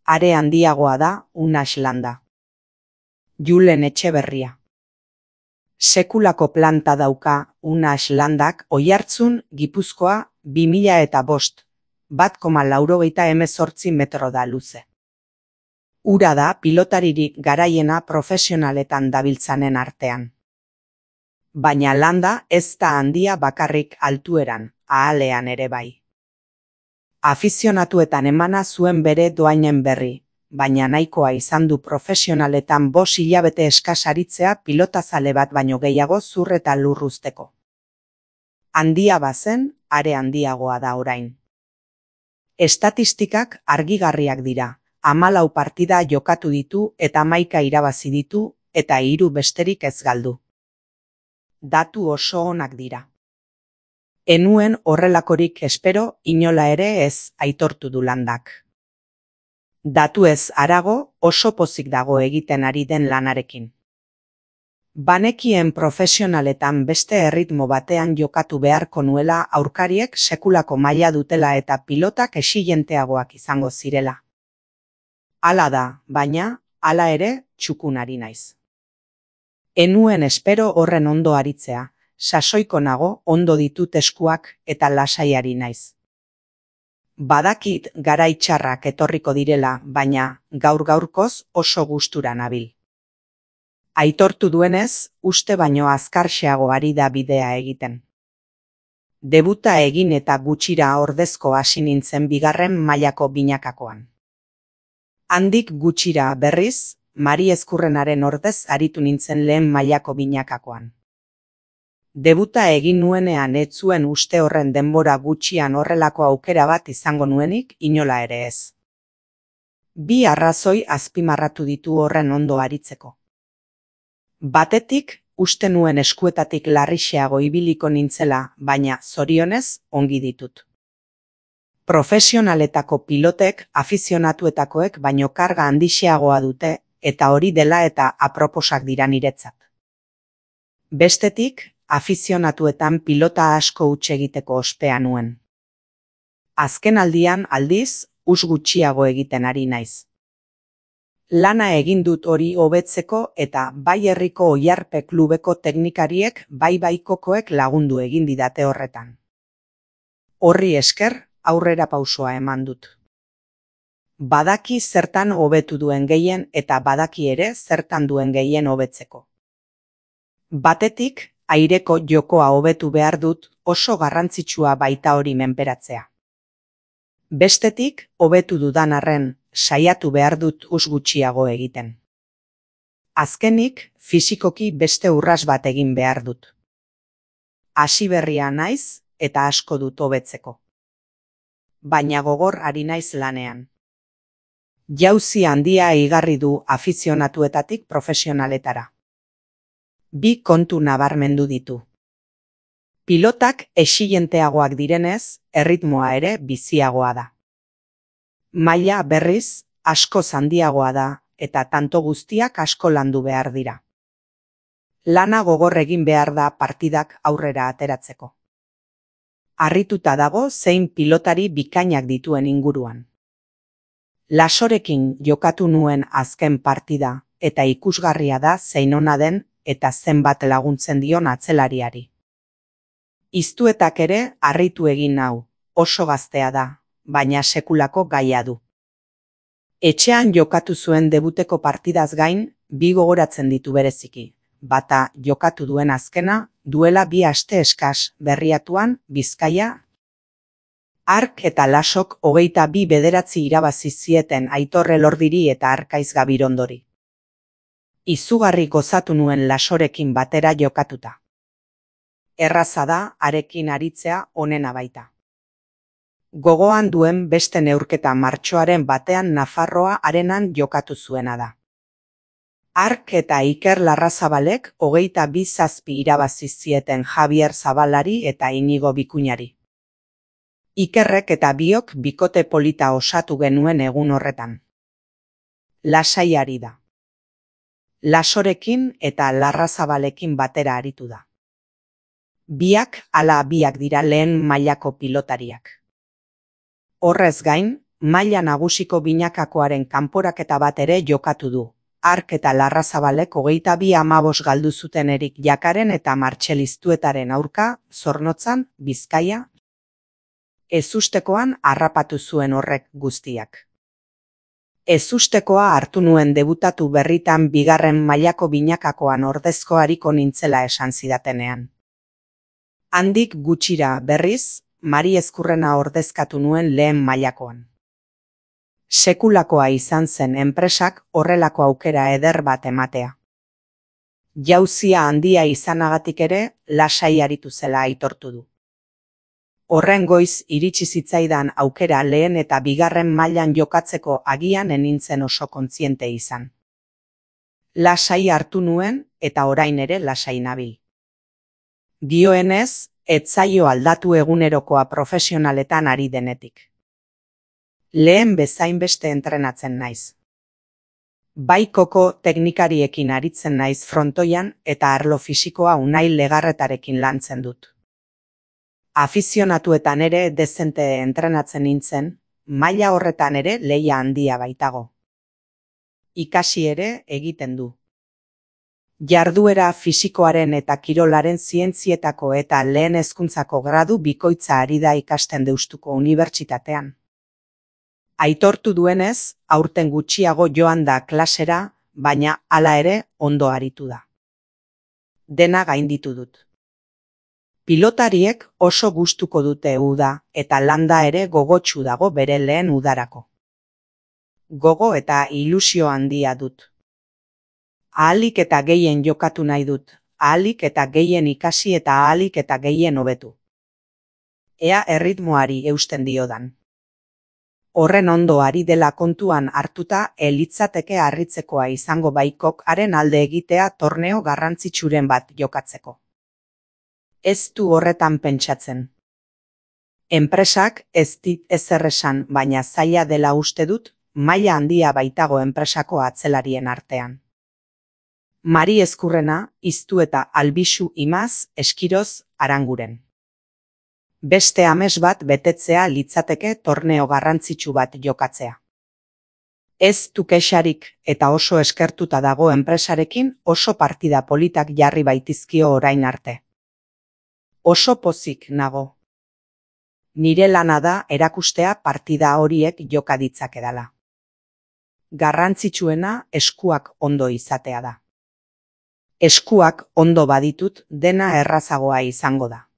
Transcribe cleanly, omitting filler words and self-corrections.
Are handiagoa da Unax landa. Julen Etxeberria. Sekulako planta dauka Unax landak Oiartzun, Gipuzkoa, 2005, 1,98 metro da luze. Ura da pilotaririk garaiena profesionaletan dabiltzanen artean. Baina landa ez da handia bakarrik altueran, ahalean ere bai. Afizionatuetan emana zuen bere doainen berri, baina nahikoa izan du profesionaletan 5 hilabete eskas aritzea pilotazale bat baino gehiago zur eta lur uzteko. Handia bazen, are handiagoa da orain. Estatistikak argigarriak dira, 14 partida jokatu ditu eta 11 irabazi ditu eta 3 besterik ez galdu. Datu oso onak dira. Enuen horrelakorik espero inola ere ez, aitortu du landak. Datu ez harago oso pozik dago egiten ari den lanarekin. Banekien profesionaletan beste erritmo batean jokatu beharko nuela aurkariek sekulako maila dutela eta pilotak exigenteagoak izango zirela. Hala da, baina, hala ere, txukun ari naiz. Enuen espero horren ondo aritzea, sasoiko nago ondo ditut eskuak eta lasaiari naiz. Badakit garai txarrak etorriko direla, baina gaur-gaurkoz oso gustura nabil. Aitortu duenez, uste baino azkarxeago ari da bidea egiten. Debuta egin eta gutxira ordezko hasi nintzen 2. mailako binakakoan. Handik gutxira berriz, Mari Ezkurrenaren ordez aritu nintzen lehen mailako binakakoan. Debuta egin nuenean ez zuen uste horren denbora gutxian horrelako aukera bat izango nuenik inola ere ez. 2 arrazoi azpimarratu ditu horren ondo aritzeko. Batetik, uste nuen eskuetatik larrixeago ibiliko nintzela, baina zorionez ongi ditut. Profesionaletako pilotek afizionatuetakoek baino karga handixeagoa dute eta hori dela eta aproposak dira niretzat. Bestetik, afizionatuetan pilota asko huts egiteko ospea nuen. Azken aldian aldiz, gutxiago egiten ari naiz. Lana egin dut hori hobetzeko eta bai herriko Oiarpe klubeko teknikariek bai baikokoek lagundu egin didate horretan. Horri esker, aurrera pausoa eman dut. Badaki zertan hobetu duen gehien eta badaki ere zertan duen gehien hobetzeko. Batetik, aireko jokoa hobetu behar dut oso garrantzitsua baita hori menperatzea. Bestetik, hobetu dudan arren, saiatu behar dut gutxiago egiten. Azkenik, fisikoki beste urras bat egin behar dut. Hasi berria naiz eta asko dut hobetzeko. Baina gogor ari naiz lanean. Jauzi handia igarri du afizionatuetatik profesionaletara. 2 kontu nabarmendu ditu. Pilotak exigenteagoak direnez, erritmoa ere biziagoa da. Maila berriz, askoz handiagoa da eta tanto guztiak asko landu behar dira. Lana gogor egin behar da partidak aurrera ateratzeko. Harrituta dago zein pilotari bikainak dituen inguruan. Lasorekin jokatu nuen azken partida eta ikusgarria da zein ona den eta zenbat laguntzen dion atzelariari. Iztuetak ere harritu egin nau, oso gaztea da, baina sekulako gaia du. Etxean jokatu zuen debuteko partidaz gain, 2 gogoratzen ditu bereziki, bata jokatu duen azkena, duela 2 aste eskas Berriatuan, Bizkaia. Ark eta Lasok 22 bederatzi irabazi zieten Aitor Elordiri eta Arkaiz Gabirondori. Izugarri gozatu nuen Lasorekin batera jokatuta. Erraza da harekin aritzea onena baita. Gogoan duen beste neurketa martxoaren batean Nafarroa arenan jokatu zuena da. Ark eta Iker Larrazabalek 22 zazpi irabazi zieten Javier Zabalari eta Inigo Bikuñari. Ikerrek eta biok bikote polita osatu genuen egun horretan. Lasai ari da. Lasorekin eta Larrazabalekin batera aritu da. Biak ala biak dira lehen mailako pilotariak. Horrez gain, maila nagusiko binakakoaren kanporaketa bat ere jokatu du. Hark eta Larrazabalek 22-15 galdu zuten Erik Jakaren eta Martxel Iztuetaren aurka, Zornotzan, Bizkaia. Ezustekoan harrapatu zuen horrek guztiak. Ezustekoa hartu nuen debutatu berritan 2. mailako binakakoan ordezko ariko nintzela esan zidatenean. Handik gutxira berriz, Mari Ezkurrena ordezkatu nuen lehen mailakoan. Sekulakoa izan zen enpresak horrelako aukera eder bat ematea. Jauzia handia izanagatik ere, lasai aritu zela aitortu du. Horren goiz iritsi zitzaidan aukera lehen eta 2. mailan jokatzeko agian enintzen oso kontziente izan. Lasai hartu nuen eta orain ere lasai nabil. Dioenez, ez zaio aldatu egunerokoa profesionaletan ari denetik. Lehen bezain beste entrenatzen naiz. Bai koko teknikariekin aritzen naiz frontoian eta arlo fisikoa Unai Legarretarekin lantzen dut. Afizionatuetan ere dezente entrenatzen nintzen, maila horretan ere lehia handia baitago. Ikasi ere egiten du. Jarduera fisikoaren eta kirolaren zientzietako eta lehen hezkuntzako gradu bikoitza ari da ikasten Deustuko Unibertsitatean. Aitortu duenez, aurten gutxiago joan da klasera, baina hala ere ondo aritu da. Dena gainditu dut. Pilotariek oso gustuko dute uda eta landa ere gogotsu dago bere lehen udarako. Gogo eta ilusio handia dut. Ahalik eta gehien jokatu nahi dut, ahalik eta gehien ikasi eta ahalik eta gehien hobetu. Ea erritmoari eusten diodan. Horren ondo ari dela kontuan hartuta litzateke harritzekoa izango baikok haren alde egitea torneo garrantzitsuren bat jokatzeko. Ez du horretan pentsatzen. Enpresak ez dit ezer esan, baina zaila dela uste dut, maila handia baitago enpresako atzelarien artean. Mari Ezkurrena, Iztueta Albisu Imaz, Eskiroz, Aranguren. Beste ames bat betetzea litzateke torneo garrantzitsu bat jokatzea. Ez du kexarik eta oso eskertuta dago enpresarekin oso partida politak jarri baitizkio orain arte. Oso pozik nago. Nire lana da erakustea partida horiek joka ditzakedala. Garrantzitsuena eskuak ondo izatea da. Eskuak ondo baditut dena errazagoa izango da.